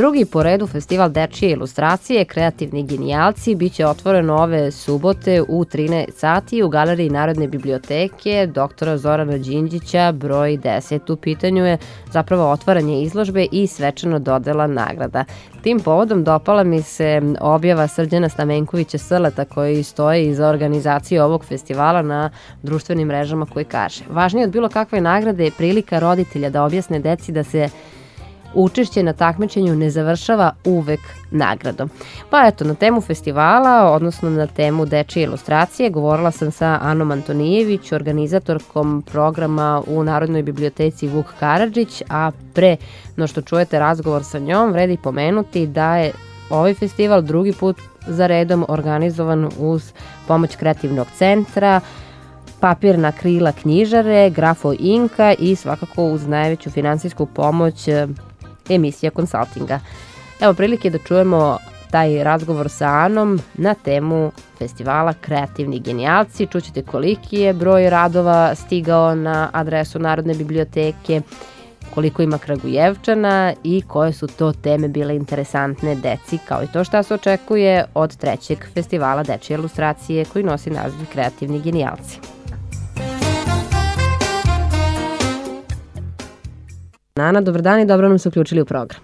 Drugi po redu festival dečije ilustracije Kreativni genijalci biće otvoren ove subote u 13 sati u Galeriji Narodne biblioteke dr. Zorana Đinđića broj 10. U pitanju je zapravo otvaranje izložbe i svečano dodela nagrada. Tim povodom dopala mi se objava Srđana Stamenkovića Srleta koji stoji iza organizacije ovog festivala na društvenim mrežama koji kaže: važnije od bilo kakve nagrade je prilika roditelja da objasne deci da se učešće na takmičenju ne završava uvek nagradom. Pa eto, na temu festivala, odnosno na temu dečije ilustracije, govorila sam sa Anom Antonijević, organizatorkom programa u Narodnoj biblioteci Vuk Karadžić, a pre no što čujete razgovor sa njom, vredi pomenuti da je ovaj festival drugi put za redom organizovan uz pomoć Kreativnog centra, Papirna krila knjižare, Grafo Inka i svakako uz najveću finansijsku pomoć emisija konsultinga. Evo prilike da čujemo taj razgovor sa Anom na temu festivala Kreativni genijalci. Čućete koliki je broj radova stigao na adresu Narodne biblioteke, koliko ima Kragujevčana i koje su to teme bile interesantne deci, kao i to šta se očekuje od trećeg festivala dečije ilustracije koji nosi naziv Kreativni genijalci. Ana, dobar dan i dobro nam se uključili u program.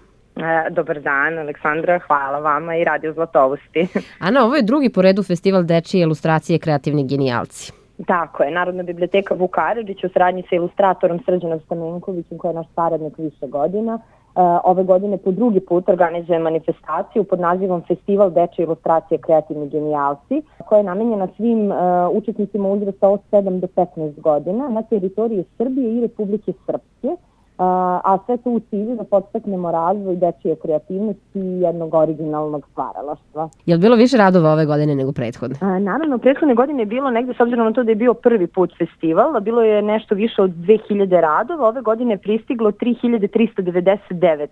Dobar dan, Aleksandra, hvala vama i Radio Zlatovosti. Ana, ovo je drugi po redu festival dečije ilustracije Kreativni genijalci. Tako je, Narodna biblioteka Vuk Karadžić u saradnji sa ilustratorom Srđanom Stamenkovićem, koji je naš saradnik više godina. Ove godine po drugi put organizuje manifestaciju pod nazivom Festival dečije ilustracije Kreativni genijalci, koja je namenjena svim učesnicima uzrasta od 7 do 15 godina na teritoriji Srbije i Republike Srpske. A sve to u cilju da podstaknemo razvoj dečije kreativnosti i jednog originalnog stvaralaštva. Je li bilo više radova ove godine nego prethodne? Naravno, prethodne godine je bilo negde, s obzirom na to da je bio prvi put festival, bilo je nešto više od 2000 radova, ove godine je pristiglo 3399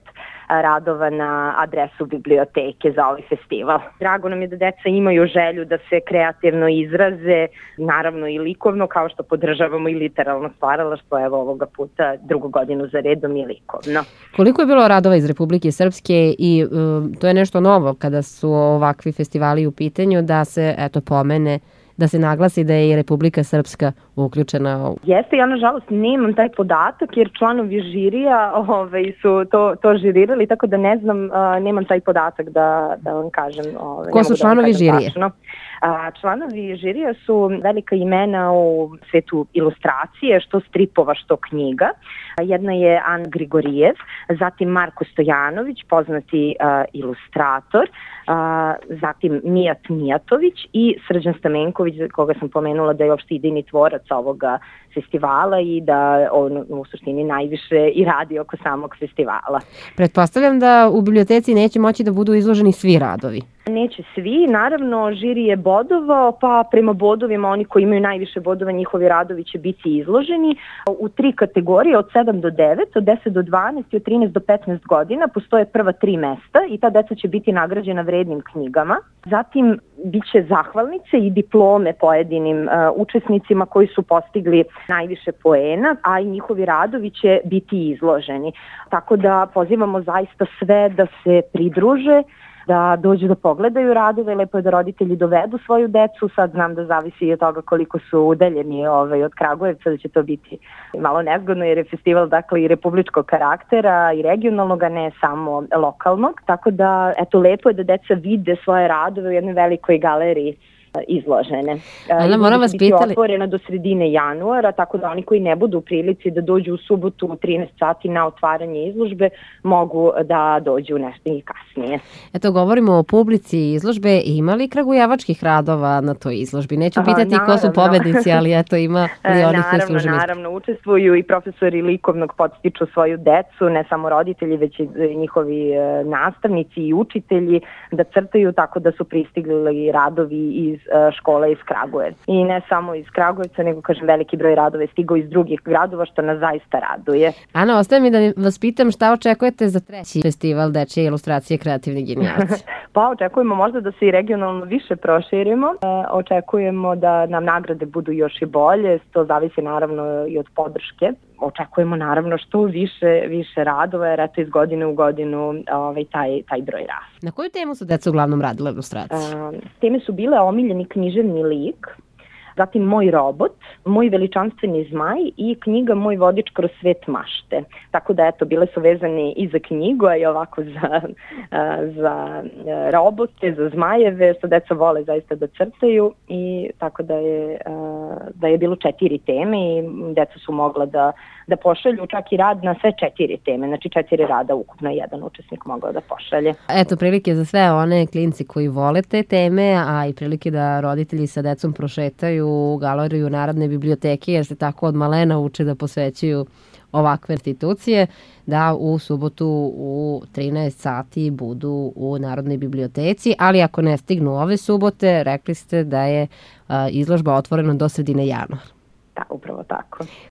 radova na adresu biblioteke za ovaj festival. Drago nam je da deca imaju želju da se kreativno izraze, naravno i likovno, kao što podržavamo i literalno stvaralaštvo, evo ovoga puta drugu godinu za redom i likovno. Koliko je bilo radova iz Republike Srpske i to je nešto novo kada su ovakvi festivali u pitanju, da se pomene, da se naglasi da je i Republika Srpska uključena? Jeste, ja nažalost nemam taj podatak jer članovi žirija su to žirirali, tako da ne znam, nemam taj podatak da vam kažem. Ko su članovi žirije? Članovi žirija su velika imena u svetu ilustracije, što stripova, što knjiga. Jedna je Ana Grigorijev, zatim Marko Stojanović, poznati ilustrator, zatim Mijat Mijatović i Srđan Stamenković, koga sam pomenula da je uopšte idejni tvorac ovoga festivala i da on u suštini najviše i radi oko samog festivala. Pretpostavljam da u biblioteci neće moći da budu izloženi svi radovi. Neće svi, naravno žiri je bodovao, pa prema bodovima oni koji imaju najviše bodova, njihovi radovi će biti izloženi u 3 kategorije, od 7 do 9, od 10 do 12 i od 13 do 15 godina. Postoje prva 3 mesta i ta deca će biti nagrađena vrednim knjigama. Zatim biće zahvalnice i diplome pojedinim učesnicima koji su postigli najviše poena, a i njihovi radovi će biti izloženi. Tako da pozivamo zaista sve da se pridruže, da dođu da pogledaju radove, lepo je da roditelji dovedu svoju decu, sad znam da zavisi i od toga koliko su udaljeni od Kragujevca, da će to biti malo nezgodno jer je festival dakle i republičkog karaktera i regionalnog, a ne samo lokalnog, tako da eto lepo je da deca vide svoje radove u jednoj velikoj galeriji izložene. Ana, moram vas pitati. Biće otvorena do sredine januara, tako da oni koji ne budu u prilici da dođu u subotu u 13 sati na otvaranje izložbe, mogu da dođu nešto i kasnije. Eto, govorimo o publici izložbe. Ima li kragujevačkih radova na toj izložbi? Neću pitati ko su pobednici, ali eto, ima li onih koji služe? Naravno, učestvuju i profesori likovnog podstiču svoju decu, ne samo roditelji, već i njihovi nastavnici i učitelji da crtaju, tako da su pristigli radovi iz škola iz Kragujevca. I ne samo iz Kragujevca, nego kažem veliki broj radova je stigao iz drugih gradova, što nas zaista raduje. Ana, ostaje mi da vas pitam šta očekujete za treći festival dečije ilustracije Kreativni genijalci? Pa očekujemo možda da se i regionalno više proširimo. Očekujemo da nam nagrade budu još i bolje. To zavisi naravno i od podrške. Očekujemo naravno što više radova, jer eto iz godine u godinu taj broj raste. Na koju temu su deca uglavnom radile ilustracije? Teme su bile omiljeni književni lik, zatim Moj robot, Moj veličanstveni zmaj i knjiga Moj vodič kroz svet mašte. Tako da, eto, bile su vezane i za knjigu, a i ovako za robote, za zmajeve, što deca vole zaista da crtaju i tako da je bilo 4 teme i deca su mogla da pošalju čak i rad na sve 4 teme, znači 4 rada ukupno jedan učesnik mogao da pošalje. Eto, prilike za sve one klinci koji vole te teme, a i prilike da roditelji sa decom prošetaju u galeriju Narodne biblioteke, jer se tako od malena uče da posvećuju ovakve institucije, da u subotu u 13 sati budu u Narodnoj biblioteci, ali ako ne stignu ove subote, rekli ste da je izložba otvorena do sredine januara. Da, upravo tako.